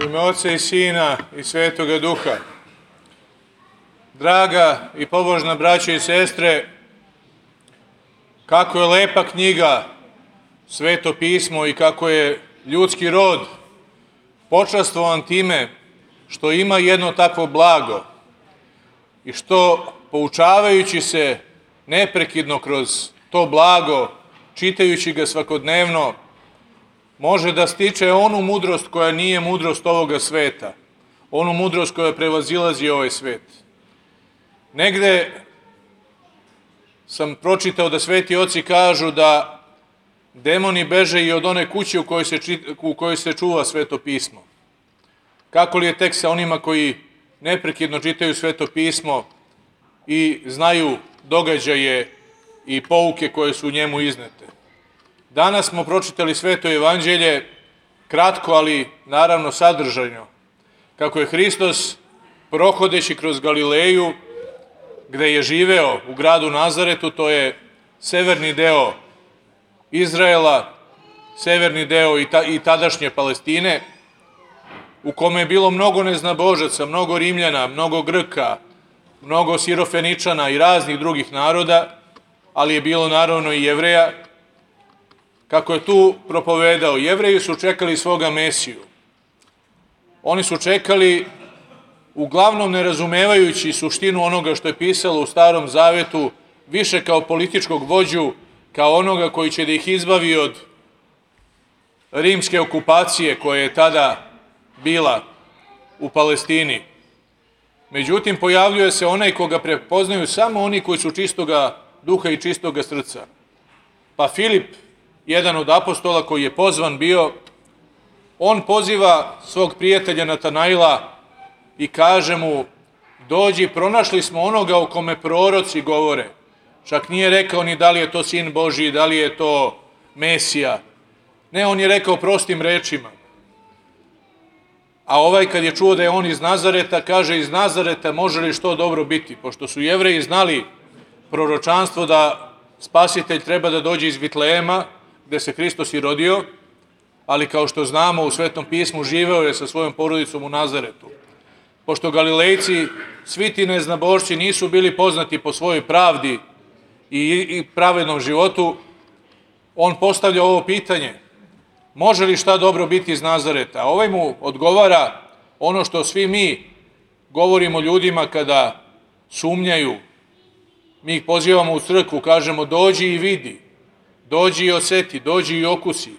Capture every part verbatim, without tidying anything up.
U ime Oca i Sina i Svetoga Duha. Draga i pobožna braćo i sestre, kako je lepa knjiga Sveto pismo i kako je ljudski rod počastvovan time što ima jedno takvo blago i što, poučavajući se neprekidno kroz to blago, čitajući ga svakodnevno, može da stiče onu mudrost koja nije mudrost ovoga sveta, onu mudrost koja prevazilazi ovaj svet. Negde sam pročitao da sveti oci kažu da demoni beže i od one kuće u kojoj se, u kojoj se čuva Sveto pismo. Kako li je tek sa onima koji neprekidno čitaju Sveto pismo i znaju događaje i pouke koje su u njemu iznete. Danas smo pročitali Sveto evanđelje, kratko, ali naravno sadržajno, kako je Hristos, prohodeći kroz Galileju, gde je živeo u gradu Nazaretu, to je severni deo Izraela, severni deo i, ta, i tadašnje Palestine, u kome je bilo mnogo neznabožaca, mnogo Rimljana, mnogo Grka, mnogo Sirofeničana i raznih drugih naroda, ali je bilo naravno i Jevreja. Kako je tu propovedao, Jevreji su čekali svoga Mesiju. Oni su čekali, uglavnom ne razumevajući suštinu onoga što je pisalo u Starom Zavetu, više kao političkog vođu, kao onoga koji će da ih izbavi od rimske okupacije koja je tada bila u Palestini. Međutim, pojavljuje se onaj koga prepoznaju samo oni koji su čistoga duha i čistoga srca. Pa Filip, jedan od apostola koji je pozvan bio, on poziva svog prijatelja Natanaila i kaže mu: dođi, pronašli smo onoga o kome proroci govore. Čak nije rekao ni da li je to Sin Božiji, da li je to Mesija. Ne, on je rekao prostim rečima. A ovaj kad je čuo da je on iz Nazareta, kaže: iz Nazareta može li što dobro biti? Pošto su Jevreji znali proročanstvo da Spasitelj treba da dođe iz Vitlejema, gde se Hristos i rodio, ali kao što znamo u Svetom pismu živeo je sa svojom porodicom u Nazaretu. Pošto Galilejci, svi ti neznabošci, nisu bili poznati po svojoj pravdi i pravednom životu, on postavlja ovo pitanje: može li šta dobro biti iz Nazareta? A ovaj mu odgovara ono što svi mi govorimo ljudima kada sumnjaju. Mi ih pozivamo u crkvu, kažemo: dođi i vidi, dođi i oseti, dođi i okusi,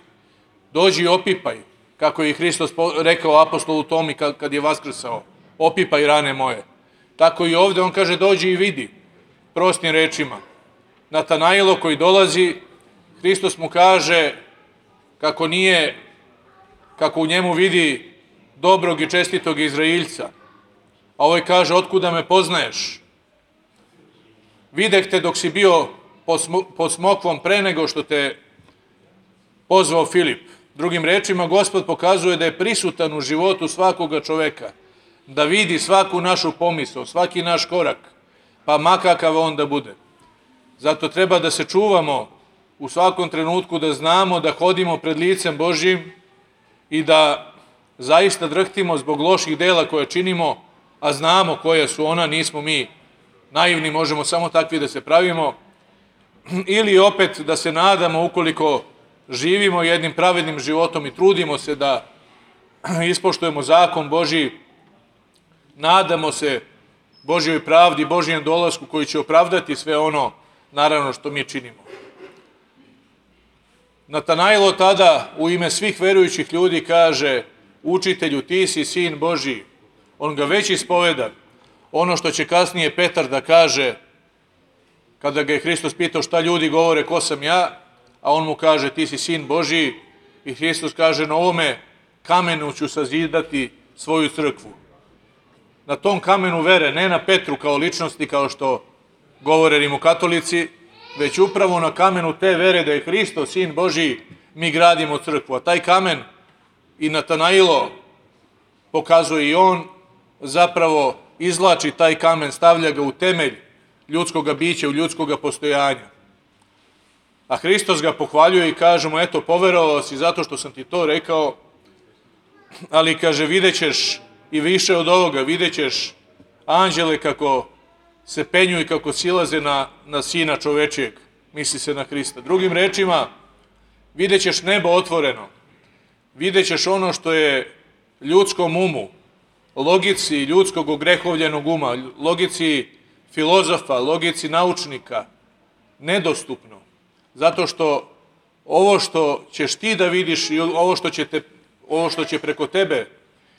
dođi i opipaj, kako je Hristos rekao apostolu Tomi kad je vaskrsao: opipaj rane moje. Tako i ovde on kaže: dođi i vidi, prostim rečima. Natanailo koji dolazi, Hristos mu kaže kako nije, kako u njemu vidi dobrog i čestitog Izraeljca. A ovaj kaže: otkuda me poznaješ? Videh te dok si bio pod smokvom pre nego što te pozvao Filip. Drugim rečima, Gospod pokazuje da je prisutan u životu svakoga čoveka, da vidi svaku našu pomisao, svaki naš korak, pa makakav on da bude. Zato treba da se čuvamo u svakom trenutku, da znamo da hodimo pred licem Božjim i da zaista drhtimo zbog loših dela koje činimo, a znamo koje su ona, nismo mi naivni, možemo samo takvi da se pravimo, ili opet da se nadamo, ukoliko živimo jednim pravednim životom i trudimo se da ispoštujemo zakon Božji, nadamo se Božjoj pravdi, Božjem dolasku koji će opravdati sve ono, naravno, što mi činimo. Natanailo tada u ime svih verujućih ljudi kaže: učitelju, ti si Sin Božji. On ga već ispoveda. Ono što će kasnije Petar da kaže, kada ga je Hristos pitao šta ljudi govore, ko sam ja, a on mu kaže: ti si Sin Božji. I Hristos kaže: na ovome kamenu ću sazidati svoju crkvu. Na tom kamenu vere, ne na Petru kao ličnosti, kao što govore rimokatolici, već upravo na kamenu te vere da je Hristos Sin Božji, mi gradimo crkvu. A taj kamen i Natanailo pokazuje, i on zapravo izvlači taj kamen, stavlja ga u temelj ljudskoga bića, u ljudskoga postojanja. A Hristos ga pohvaljuje i kaže mu: eto, poverovao si zato što sam ti to rekao, ali kaže, vidjet ćeš i više od ovoga, vidjet ćeš anđele kako se penju i kako silaze na, na sina čovečijeg, misli se na Hrista. Drugim rečima, vidjet ćeš nebo otvoreno, vidjet ćeš ono što je ljudskom umu, logici ljudskog ogrehovljenog uma, logici filozofa, logici naučnika, nedostupno. Zato što ovo što ćeš ti da vidiš i ovo što će, te, ovo što će preko tebe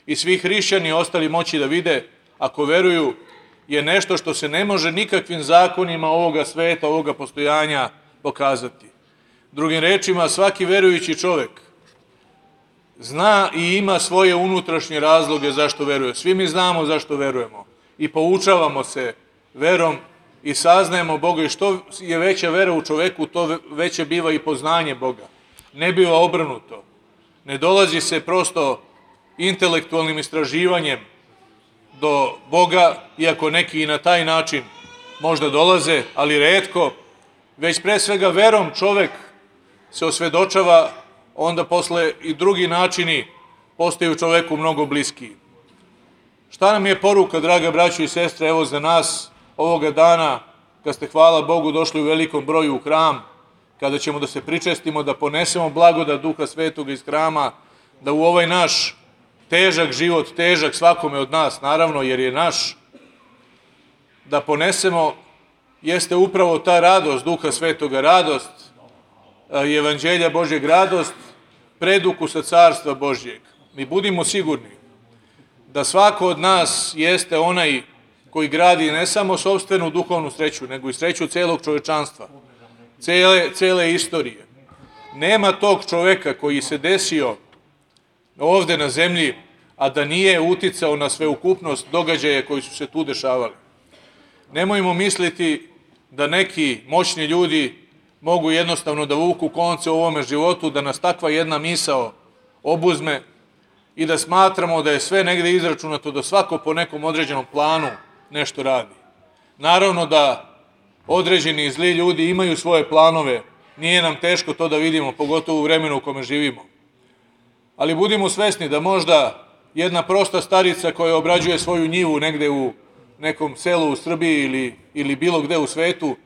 i svi hrišćani ostali moći da vide, ako veruju, je nešto što se ne može nikakvim zakonima ovoga sveta, ovoga postojanja pokazati. Drugim rečima, svaki verujući čovek zna i ima svoje unutrašnje razloge zašto veruje. Svi mi znamo zašto verujemo i poučavamo se verom i saznajemo Boga, i što je veća vera u čoveku, to veće biva i poznanje Boga. Ne biva obrnuto. Ne dolazi se prosto intelektualnim istraživanjem do Boga, iako neki i na taj način možda dolaze, ali retko, već pre svega verom čovek se osvedočava, onda posle i drugi načini postaju čoveku mnogo bliskiji. Šta nam je poruka, draga braćo i sestre, evo za nas ovoga dana, kad ste, hvala Bogu, došli u velikom broju u hram, kada ćemo da se pričestimo, da ponesemo blagodat Duha Svetoga iz hrama, da u ovaj naš težak život, težak svakome od nas, naravno, jer je naš, da ponesemo, jeste upravo ta radost Duha Svetoga, radost Evanđelja Božjeg, radost predukusa Carstva Božjeg. Mi budimo sigurni da svako od nas jeste onaj koji gradi ne samo sopstvenu duhovnu sreću, nego i sreću celog čovečanstva, cele, cele istorije. Nema tog čoveka koji se desio ovde na zemlji, a da nije uticao na sveukupnost događaja koji su se tu dešavali. Nemojmo misliti da neki moćni ljudi mogu jednostavno da vuku konce u ovome životu, da nas takva jedna misao obuzme i da smatramo da je sve negde izračunato, da svako po nekom određenom planu nešto radi. Naravno da određeni zli ljudi imaju svoje planove, nije nam teško to da vidimo, pogotovo u vremenu u kome živimo. Ali budimo svesni da možda jedna prosta starica koja obrađuje svoju njivu negde u nekom selu u Srbiji ili, ili bilo gde u svetu,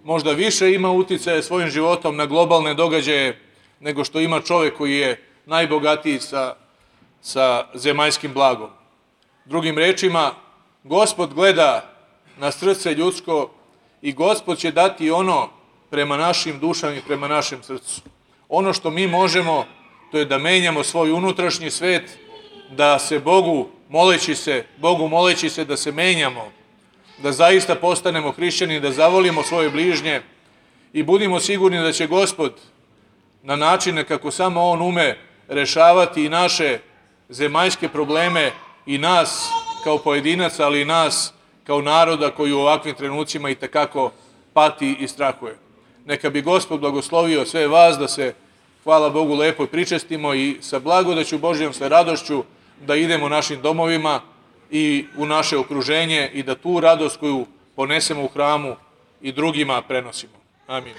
možda više ima uticaje svojim životom na globalne događaje nego što ima čovek koji je najbogatiji sa, sa zemaljskim blagom. Drugim rečima, Gospod gleda na srce ljudsko i Gospod će dati ono prema našim dušama i prema našem srcu. Ono što mi možemo, to je da menjamo svoj unutrašnji svet, da se Bogu moleći se, Bogu moleći se da se menjamo, da zaista postanemo hrišćani, da zavolimo svoje bližnje i budimo sigurni da će Gospod na načine kako samo On ume rešavati i naše zemaljske probleme i nas kao pojedinaca, ali i nas kao naroda koji u ovakvim trenucima i tekako pati i strahuje. Neka bi Gospod blagoslovio sve vas da se, hvala Bogu, lepo pričestimo i sa blagodaću Božjom, sa radošću da idemo našim domovima i u naše okruženje i da tu radost koju ponesemo u hramu i drugima prenosimo. Amin.